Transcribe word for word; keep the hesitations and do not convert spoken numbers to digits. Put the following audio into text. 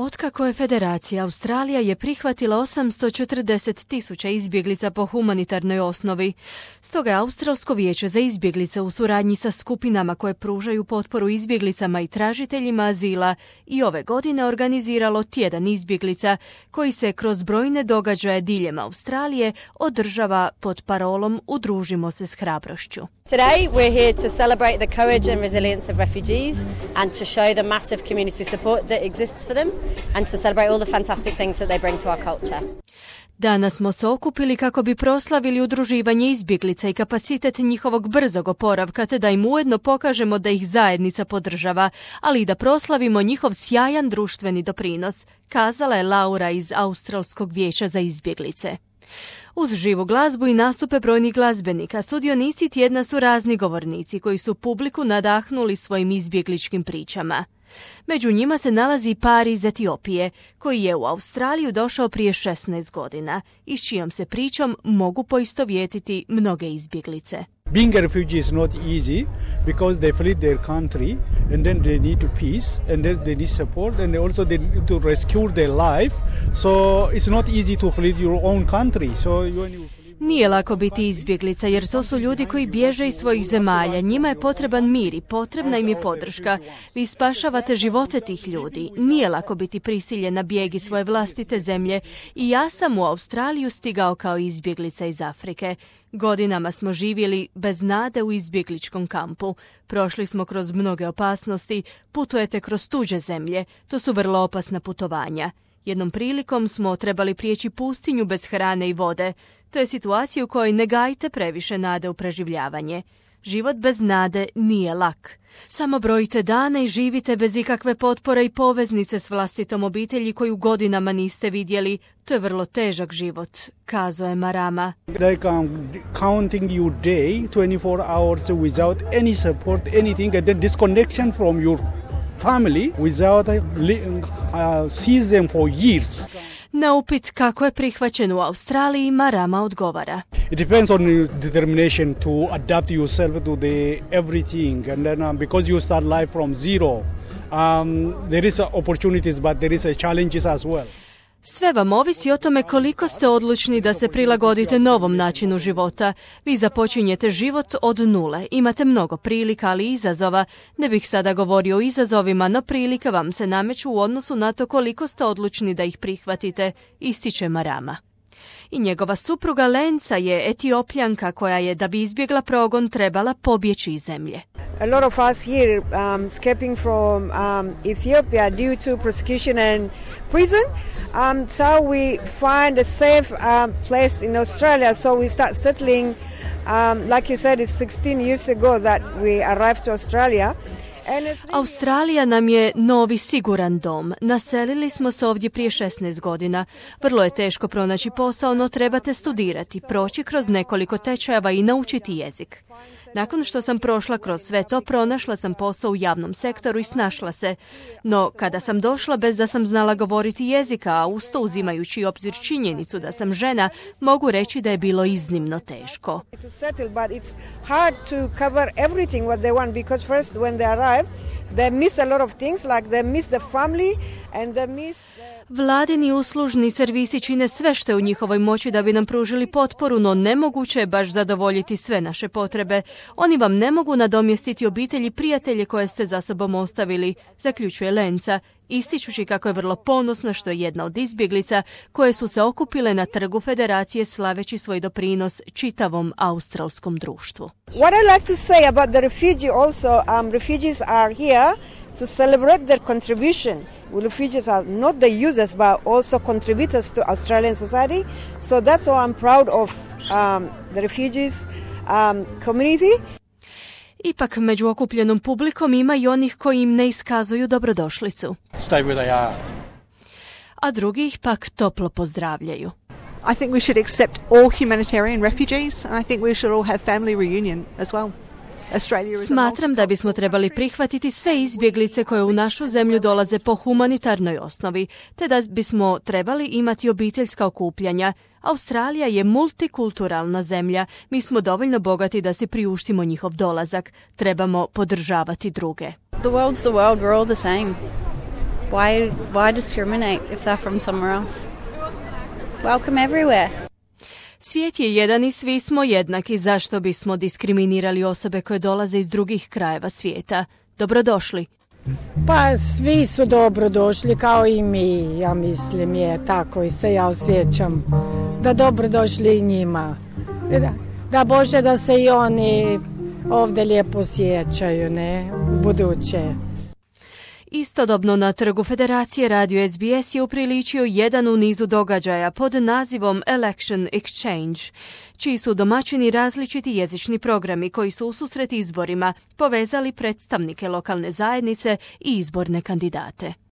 Otkako je Federacija, Australija je prihvatila osamsto četrdeset tisuća izbjeglica po humanitarnoj osnovi. Stoga je Australsko vijeće za izbjeglice u suradnji sa skupinama koje pružaju potporu izbjeglicama i tražiteljima azila i ove godine organiziralo tjedan izbjeglica koji se kroz brojne događaje diljem Australije održava pod parolom Udružimo se s hrabrošću. Today we're here to celebrate the courage and resilience of refugees and to show the massive community support that exists for them and to celebrate all the fantastic things that they bring to our culture. Danas smo se okupili kako bi proslavili udruživanje izbjeglica i kapacitet njihovog brzog oporavka, te da im ujedno pokažemo da ih zajednica podržava, ali i da proslavimo njihov sjajan društveni doprinos, kazala je Laura iz Australskog vijeća za izbjeglice. Uz živu glazbu i nastupe brojnih glazbenika, sudionici tjedna su razni govornici koji su publiku nadahnuli svojim izbjegličkim pričama. Među njima se nalazi par iz Etiopije, koji je u Australiju došao prije šesnaest godina i s čijom se pričom mogu poistovjetiti mnoge izbjeglice. Being a refugee is not easy because they fled their country and then they need peace and then they need support and also they need to rescue their life. So it's not easy to flee your own country. So when you Nije lako biti izbjeglica jer to su ljudi koji bježe iz svojih zemalja. Njima je potreban mir i potrebna im je podrška. Vi spašavate živote tih ljudi. Nije lako biti prisiljen na bijeg iz svoje vlastite zemlje i ja sam u Australiju stigao kao izbjeglica iz Afrike. Godinama smo živjeli bez nade u izbjegličkom kampu. Prošli smo kroz mnoge opasnosti, putujete kroz tuđe zemlje. To su vrlo opasna putovanja. Jednom prilikom smo trebali prijeći pustinju bez hrane i vode. To je situacija u kojoj ne gajite previše nade u preživljavanje. Život bez nade nije lak. Samo brojite dane i živite bez ikakve potpore i poveznice s vlastitom obitelji koju godinama niste vidjeli. To je vrlo težak život, kazao je Marama. Like um, counting your day, twenty-four hours without any support, anything, and then disconnection from your family without uh, see them for years. Na upit kako je prihvaćen u Australiji, Marama odgovara. It depends on your determination to adapt yourself to the everything, and then um, because you start life from zero, um, there is opportunities, but there is a challenges as well. Sve vam ovisi o tome koliko ste odlučni da se prilagodite novom načinu života. Vi započinjete život od nule. Imate mnogo prilika, ali i izazova. Ne bih sada govorio o izazovima, no prilike vam se nameću u odnosu na to koliko ste odlučni da ih prihvatite, ističe Marama. I njegova supruga Lenca je Etiopljanka koja je, da bi izbjegla progon, trebala pobjeći iz zemlje. A lot of us here um, escaping from um, Ethiopia due to persecution and prison. Um, so we find a safe um, place in Australia. So we start settling. Um, like you said, it's sixteen years ago that we arrived to Australia. Australija nam je novi siguran dom. Naselili smo se ovdje prije šesnaest godina. Vrlo je teško pronaći posao, no trebate studirati, proći kroz nekoliko tečajeva i naučiti jezik. Nakon što sam prošla kroz sve to, pronašla sam posao u javnom sektoru i snašla se. No, kada sam došla bez da sam znala govoriti jezika, a usto uzimajući obzir činjenicu da sam žena, mogu reći da je bilo iznimno teško. Vladini uslužni servisi čine sve što je u njihovoj moći da bi nam pružili potporu, no nemoguće je baš zadovoljiti sve naše potrebe. Oni vam ne mogu nadomjestiti obitelji i prijatelje koje ste za sobom ostavili, zaključuje Lenca, ističući kako je vrlo ponosna što je jedna od izbjeglica koje su se okupile na trgu Federacije slaveći svoj doprinos čitavom australskom društvu. What I like to say about the refugee also, um, refugees are here to celebrate their contribution. Refugees are not the users but also contributors to Australian society. So that's why I'm proud of um, the refugees um, community. Ipak među okupljenom publikom ima i onih koji im ne iskazuju dobrodošlicu. Stay where they are. A drugi ih pak toplo pozdravljaju. I think we should accept all humanitarian refugees and I think we should all have family reunion as well. Smatram da bismo trebali prihvatiti sve izbjeglice koje u našu zemlju dolaze po humanitarnoj osnovi, te da bismo trebali imati obiteljska okupljanja. Australija je multikulturalna zemlja. Mi smo dovoljno bogati da si priuštimo njihov dolazak. Trebamo podržavati druge. The world's the world, we're all the same. Why, why discriminate if they're from somewhere else? Welcome everywhere. Svijet je jedan i svi smo jednaki. Zašto bismo diskriminirali osobe koje dolaze iz drugih krajeva svijeta? Dobrodošli. Pa svi su dobrodošli kao i mi, ja mislim je tako i se ja osjećam da dobrodošli i njima. Da, da Bože da se i oni ovdje lijepo osjećaju, ne, u buduće. Istodobno na trgu Federacije radio S B S je upriličio jedan u nizu događaja pod nazivom Election Exchange, čiji su domaćini različiti jezični programi koji su ususret izborima povezali predstavnike lokalne zajednice i izborne kandidate.